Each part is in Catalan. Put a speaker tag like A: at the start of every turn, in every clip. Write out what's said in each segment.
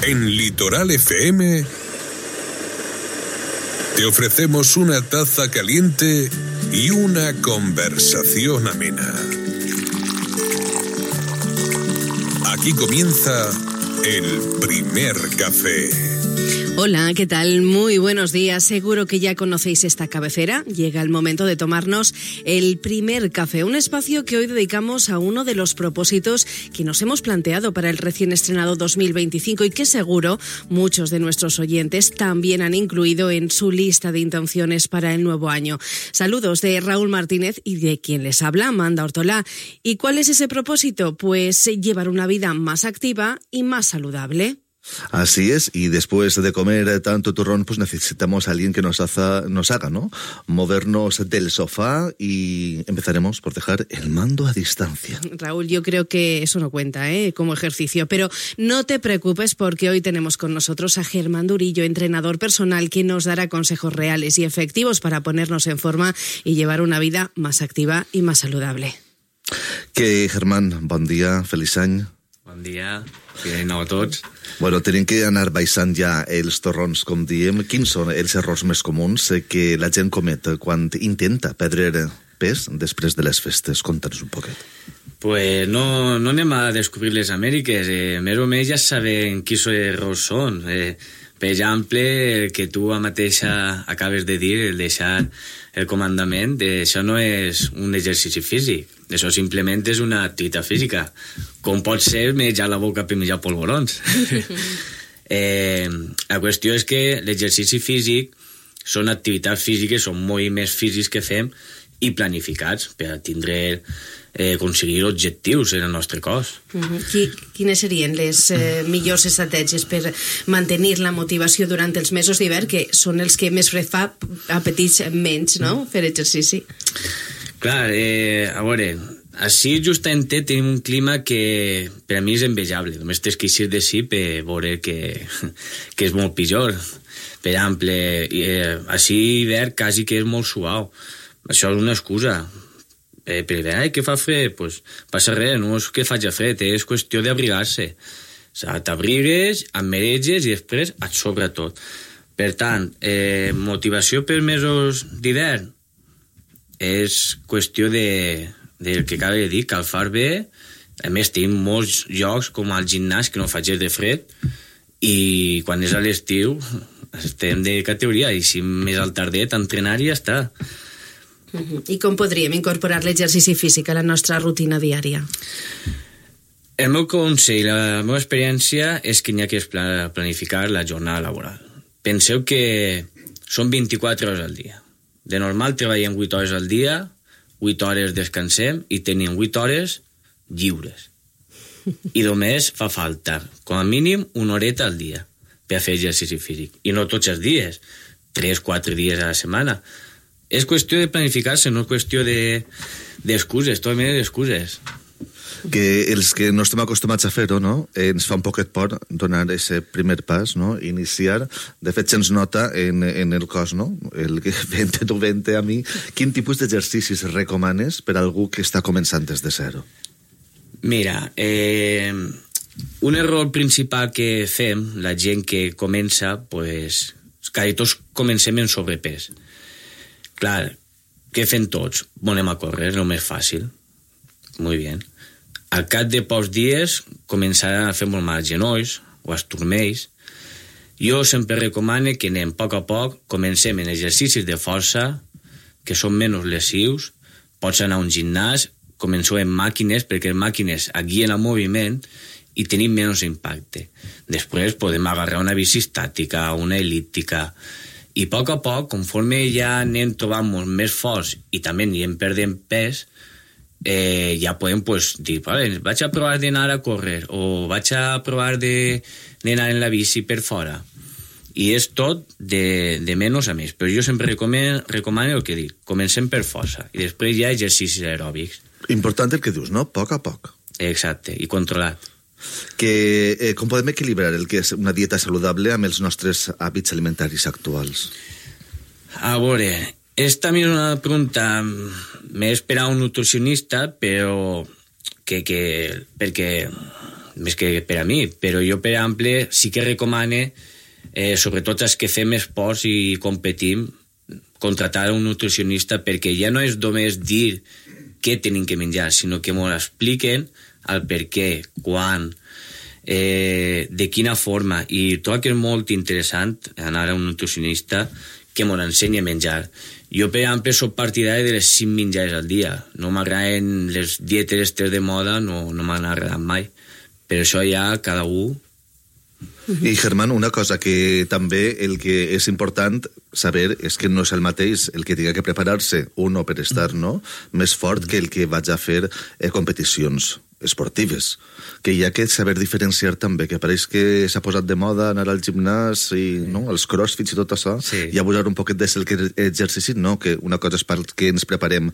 A: En Litoral FM te ofrecemos una taza caliente y una conversación amena. Aquí comienza el primer café.
B: Hola, ¿qué tal? Muy buenos días. Seguro que ya conocéis esta cabecera. Llega el momento de tomarnos el primer café, un espacio que hoy dedicamos a uno de los propósitos que nos hemos planteado para el recién estrenado 2025 y que seguro muchos de nuestros oyentes también han incluido en su lista de intenciones para el nuevo año. Saludos de Raúl Martínez y de quien les habla, Amanda Ortolá. ¿Y cuál es ese propósito? Pues llevar una vida más activa y más saludable.
C: Así es, y después de comer tanto turrón, pues necesitamos a alguien que nos haga, ¿no? Movernos del sofá y empezaremos por dejar el mando a distancia.
B: Raúl, yo creo que eso no cuenta, como ejercicio, pero no te preocupes porque hoy tenemos con nosotros a Germán Durillo, entrenador personal, que nos dará consejos reales y efectivos para ponernos en forma y llevar una vida más activa y más saludable.
C: Que, Germán, bon dia, feliç any.
D: Bon dia, de nou a tots.
C: Bueno, tenim que anar baixant ja els torrons, com diem. Quins són els errors més comuns que la gent comet quan intenta perdre pes després de les festes? Conta'ns un poquet.
D: Pues no anem a descobrir les Amèriques, més o menys ja sabem quins errors són. Per exemple, el que tu mateixa acabes de dir, el deixar el comandament, això no és un exercici físic, això simplement és una activitat física, com pot ser menjar la boca per menjar polvorons. La qüestió és que l'exercici físic són activitats físiques, són moviments físics que fem i planificats per tindre aconseguir objectius en el nostre cos.
B: Quines serien les millors estratègies per mantenir la motivació durant els mesos d'hivern, que són els que més fred fa, apetits menys, no?, fer exercici?
D: Clar, a veure, així justament tenim un clima que per a mi és envejable. Només tens que eixir d'ací per veure que és molt pitjor. Per exemple, així hivern quasi que és molt suau. Això és una excusa. Per dir, que fa fred? Pues passa res, no és que faci fred, és qüestió d'abrigar-se. O sigui, t'abrigues, et mereges i després et sobra tot. Per tant, motivació per mesos d'hivern és qüestió del que acaba de dir, calfar bé. A més, tenim molts llocs com al gimnàs que no faig de fred i quan és a l'estiu estem de categoria i si més al tardet entrenar i ja està.
B: I com podríem incorporar l'exercici físic a la nostra rutina diària?
D: El meu consell, la meva experiència és que n'hi ha que planificar la jornada laboral. Penseu que són 24 hores al dia. De normal treballem 8 hores al dia, 8 hores descansem i tenim 8 hores lliures. I només fa falta, com a mínim, una horeta al dia per fer exercici físic. I no tots els dies, 3-4 dies a la setmana. És qüestió de planificar-se, no és qüestió d'excuses, totalment d'excuses.
C: Que els que no estem acostumats a fer-ho, no?, ens fa un poquet por donar aquest primer pas, no?, iniciar. De fet, se'ns nota en el cos, no?, el que vente a mi. Quin tipus d'exercicis recomanes per a algú que està començant des de zero?
D: Mira, un error principal que fem, la gent que comença, pues, quasi tots comencem en sobrepès. Clar, què fem tots? Anem a córrer, és el més fàcil. Molt bé. Al cap de pocs dies començaran a fer molt mal els genolls o els turmells. Jo sempre recomano que anem a poc, comencem en exercicis de força, que són menys lesius. Pots anar a un gimnàs, comenceu amb màquines, perquè les màquines guien el moviment i tenim menys impacte. Després podem agarrar una bici estàtica, una el·líptica. I a poc, conforme ja anem trobant-nos més forts i també anirem perdent pes, ja podem dir, vale, vaig a provar d'anar a córrer o vaig a provar d'anar en la bici per fora. I és tot de menys a més. Però jo sempre recomano el que dic, comencem per força i després hi ha exercicis aeròbics.
C: Important el que dius, no? A poc.
D: Exacte, i controlat.
C: Com podem equilibrar el que és una dieta saludable amb els nostres hàbits alimentaris actuals?
D: A veure, és també una pregunta més per a un nutricionista, però perquè més que per a mi, però jo, per exemple, sí que recomane, sobretot els que fem esports i competim, contratar un nutricionista, perquè ja no és només dir què tenim que menjar, sinó que m'ho expliquen el per què, quan, de quina forma, i trobo que és molt interessant anar a un nutricionista que m'ho ensenyi a menjar. Jo, per exemple, soc partidari de les 5 menjars al dia. No m'agraden les dietes estes de moda, no m'han agradat mai. Per això ja cada un...
C: I, Germán, una cosa que també el que és important saber és que no és el mateix el que tinga que preparar-se uno per estar més fort que el que vaig a fer competicions esportives, que hi ha que saber diferenciar també, que pareix que s'ha posat de moda anar al gimnàs i els crossfits i tot això, i abusar un poquet del exercici, que una cosa és perquè ens preparem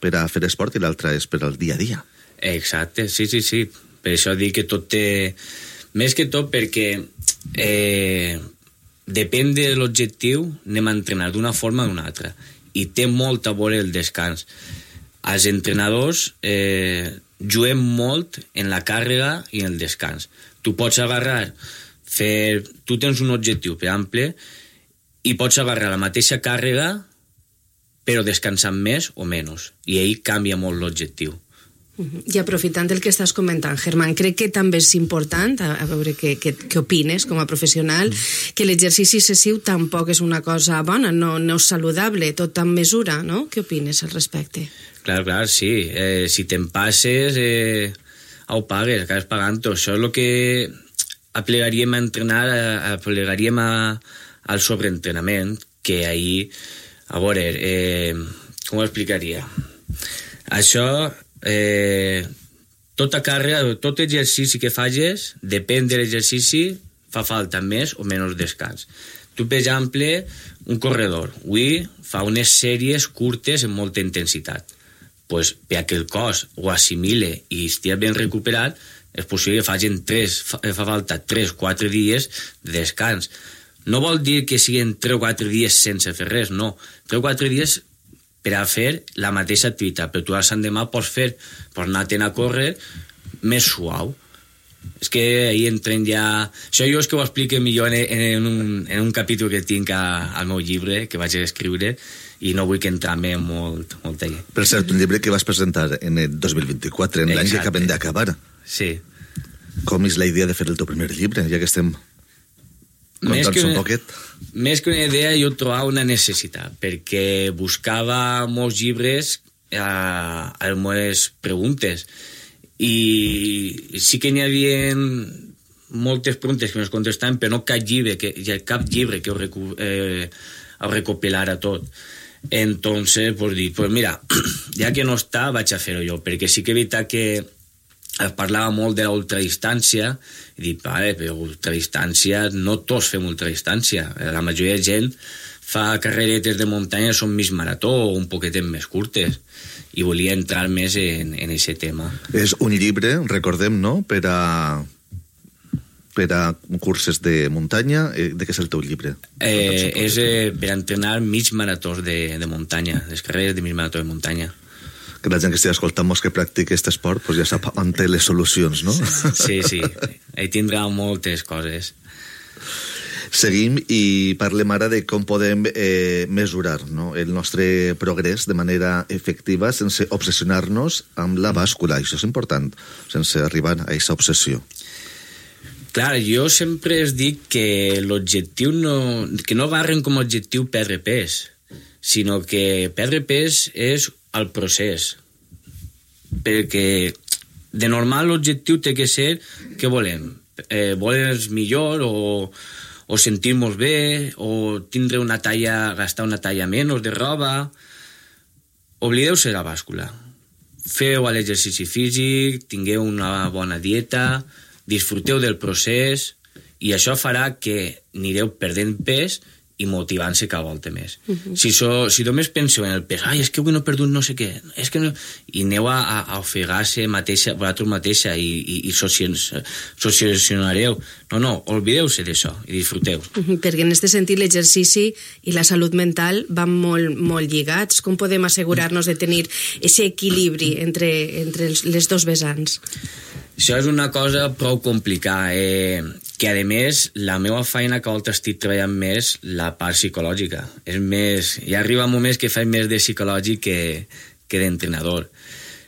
C: per a fer esport i l'altra és per al dia a dia.
D: Exacte, sí. Per això dic que tot té... Més que tot perquè depèn de l'objectiu, anem a entrenar d'una forma o d'una altra. I té molt a veure el descans. Els entrenadors juguem molt en la càrrega i en el descans. Tu pots agarrar, tu tens un objectiu, per exemple, i pots agarrar la mateixa càrrega però descansant més o menys. I ahir canvia molt l'objectiu.
B: I aprofitant el que estàs comentant, Germán, crec que també és important, a veure què opines com a professional, que l'exercici excessiu tampoc és una cosa bona, no és saludable, tot amb mesura, no? Què opines al respecte?
D: Clar, sí. Si te'n passes, ho pagues, acabes pagant-ho. Això és el que aplegaríem a entrenar, aplegaríem al sobreentrenament, que ahir, a veure, com ho explicaria? Això... tota càrrega, tot exercici que facis, depèn de l'exercici, fa falta més o menys descans. Tu, per exemple, un corredor, avui fa unes sèries curtes amb molta intensitat. Pues, perquè el cos ho assimile i estigui ben recuperat, és possible que fa falta 3-4 dies de descans. No vol dir que siguin 3 o 4 dies sense fer res, no. 3 o 4 dies per a fer la mateixa activitat, però tu a l'endemà pots anar-te'n a córrer més suau. És que ahir entren ja... Això jo és que ho explico millor en un capítol que tinc al meu llibre, que vaig escriure, i no vull que entrar-me molt allà.
C: Per cert, un llibre que vas presentar en el 2024, en l'any que acabem d'acabar.
D: Sí.
C: Com és la idea de fer el teu primer llibre, ja que estem...
D: Més que una idea, jo trobava una necessitat, perquè buscava molts llibres a les meves preguntes, i sí que n'hi havia moltes preguntes que no es contestaven, però no cap llibre que ho recopilara tot. Entonces, pues dic, pues mira, ja que no està, vaig a fer-ho jo, perquè sí que és veritat que parlava molt de l'ultradistància, i dic, vale, però ultradistància, no tots fem ultradistància, la majoria de gent fa carreretes de muntanya, són més marató o un poquetet més curtes, i volia entrar més en aquest tema.
C: És un llibre, recordem, no?, per a curses de muntanya. De què és el teu llibre?
D: És per entrenar mig maratós de muntanya, les carreres de mig marató de muntanya.
C: Que la gent que estigui escoltant-nos que practica aquest esport ja sap on té les solucions, no?
D: Sí, ahí tindrà moltes coses.
C: Seguim i parlem ara de com podem mesurar el nostre progrés de manera efectiva sense obsessionar-nos amb la bàscula. Això és important, sense arribar a aquesta obsessió.
D: Clar, jo sempre es dic que l'objectiu que no agarren com a objectiu perdre pes, sinó que perdre pes és el procés, perquè de normal l'objectiu té que ser què volem, voler millor o sentir-nos bé o tindre una talla, gastar una talla menys de roba. Oblideu-se la bàscula, feu l'exercici físic, tingueu una bona dieta, disfruteu del procés, i això farà que anireu perdent pes i motivant-se cada volta més. Si només penseu en el pes, és que avui no he perdut no sé què, és que no... i aneu a ofegar-se vosaltres mateixa i sociacionareu. No, oblideu-se d'això i disfruteu.
B: Perquè en aquest sentit l'exercici i la salut mental van molt lligats. Com podem assegurar-nos de tenir aquest equilibri entre les dos vessants?
D: Això és una cosa prou complicada, que a més la meva feina que volta estic treballant més la part psicològica. És més, ja arriba moments que faig més de psicològic que d'entrenador.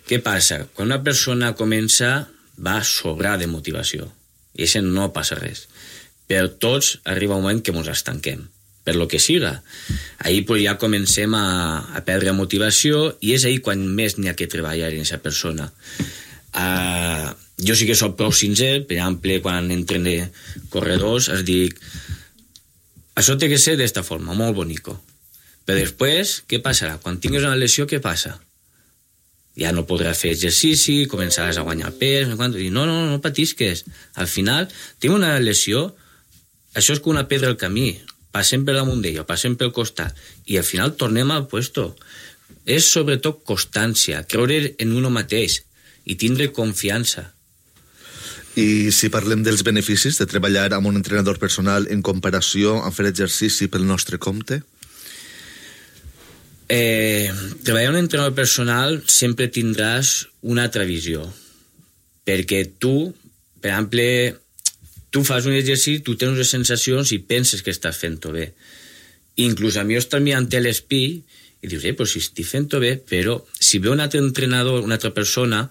D: Què passa? Quan una persona comença va sobrar de motivació i això no passa res. Però tots arriba un moment que ens estanquem, per lo que siga. Ahir pues, ja comencem a perdre motivació i és ahir quan més n'hi ha que treballar en aquesta persona. Jo sí que soc prou sincer, per exemple, quan entrene corredors, es dic, això té que ser d'esta forma, molt bonico. Però després, què passarà? Quan tinguis una lesió, què passa? Ja no podràs fer exercici, començaràs a guanyar pes, i no patisques. Al final, tinc una lesió, això és com una pedra al camí, passem per damunt d'ella, passem pel costat, i al final tornem al puesto. És sobretot constància, creure en uno mateix, i tindre confiança.
C: I si parlem dels beneficis de treballar amb un entrenador personal en comparació amb fer exercici pel nostre compte?
D: Treballar amb un entrenador personal sempre tindràs una altra visió. Perquè tu, per exemple, tu fas un exercici, tu tens unes sensacions i penses que estàs fent-ho bé. Inclús a mi estàs mirant l'espí i dius, pues si estic fent-ho bé, però si ve un altre entrenador, una altra persona,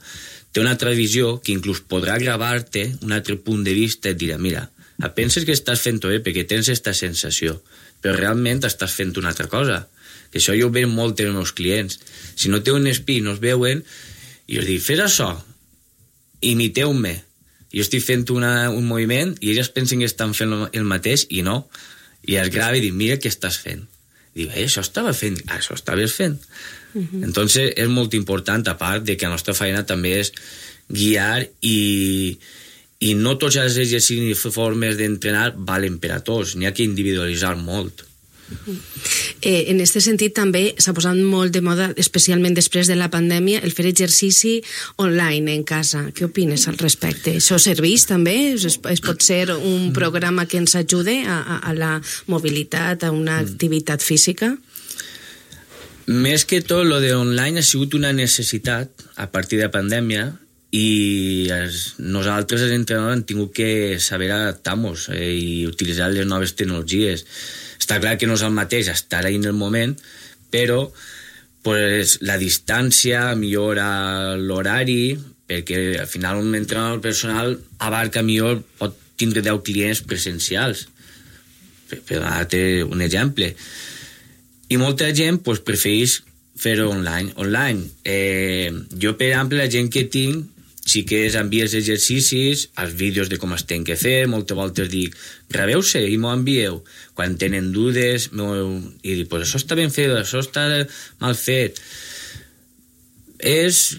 D: té una altra visió que inclús podrà gravar-te un altre punt de vista i et dirà, mira, penses que estàs fent-ho bé perquè tens aquesta sensació, però realment estàs fent una altra cosa. Que això jo ho veig molt en els meus clients. Si no té un espí i no es veuen, i els dic, fes això, imiteu-me. Jo estic fent un moviment i ells pensen que estan fent el mateix i no. I es grava i dic, mira què estàs fent. I diu, això estaves fent. Entonces és molt important, a part de que la nostra feina també és guiar i no tots els exercicis i formes d'entrenar valen per a tots, n'hi ha que individualitzar molt.
B: En aquest sentit també s'ha posat molt de moda, especialment després de la pandèmia, el fer exercici online en casa. Què opines al respecte? Això serveix també? Es pot ser un programa que ens ajude a la mobilitat, a una activitat física?
D: Més que tot, lo de online ha sigut una necessitat a partir de la pandèmia i nosaltres, els entrenadors, hem tingut que saber adaptar-nos i utilitzar les noves tecnologies. Està clar que no és el mateix estar ahí en el moment, però pues, la distància millora l'horari, perquè al final un entrenador personal abarca millor, pot tindre 10 clients presencials. Per donar-te un exemple. I molta gent pues, prefereix fer-ho online. Jo, per exemple, la gent que tinc, sí que envies exercicis, els vídeos de com es tenen que fer, moltes voltes dic, graveu-se i m'ho envieu. Quan tenen dudes, i dic, pues això està ben fet, això està mal fet. És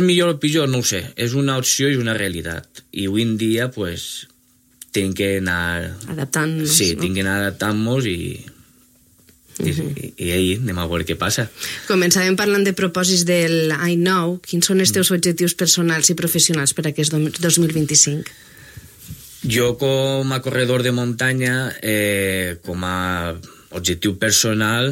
D: millor o pitjor, no ho sé. És una opció i una realitat. I avui en dia, pues, tinc que anar...
B: adaptant-nos.
D: Sí, tinc que anar adaptant-nos i ahir anem a veure què passa.
B: Començàvem parlant de propòsits del I Know. Quins són els teus objectius personals i professionals per a aquest 2025?
D: Jo, com a corredor de muntanya, com a objectiu personal,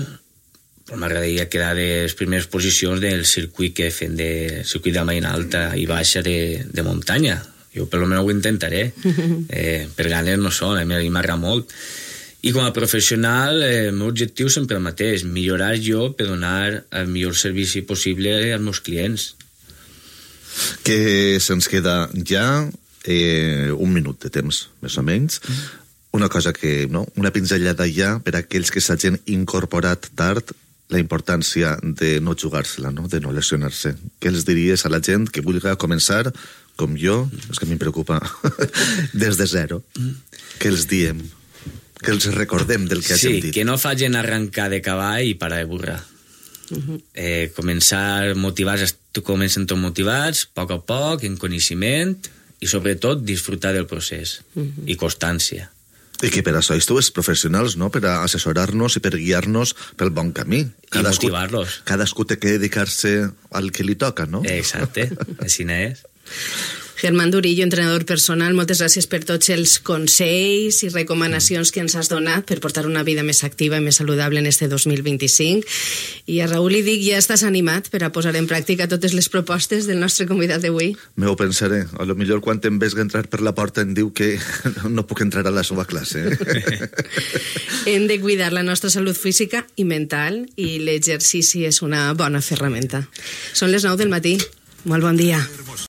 D: m'agradaria quedar de les primeres posicions del circuit que fem, de circuit de maina alta i baixa de muntanya. Jo per almenys ho intentaré. Per ganes no són, a mi m'agrada molt. I com a professional, el meu objectiu sempre el mateix, millorar jo per donar el millor servici possible als meus clients.
C: Que se'ns queda ja un minut de temps, més o menys. Una cosa que, no? Una pinzellada ja per a aquells que s'hagin incorporat tard, la importància de no jugar-se-la, no? De no lesionar-se. Què els diries a la gent que vulgui començar, com jo, és que a mi em preocupa, des de zero? Què els diem? Que els recordem del que hagin dit.
D: Sí, que no facin arrencar de cavall i parar de burra. Començar motivats, comencen tots motivats, a poc, en coneixement, i sobretot disfrutar del procés i constància.
C: I que per això esteu professionals, no? Per a assessorar-nos i per guiar-nos pel bon camí.
D: I motivar-los.
C: Cadascú té que dedicar-se al que li toca, no?
D: Exacte, així n'és.
B: Germán Durillo, entrenador personal, moltes gràcies per tots els consells i recomanacions que ens has donat per portar una vida més activa i més saludable en este 2025. I a Raül li dic, ja estàs animat per a posar en pràctica totes les propostes del nostre convidat d'avui?
C: Me ho pensaré. A lo millor quan em veig entrar per la porta em diu que no puc entrar a la seva classe.
B: Hem de cuidar la nostra salut física i mental i l'exercici és una bona ferramenta. Són les 9 del matí. Molt bon dia.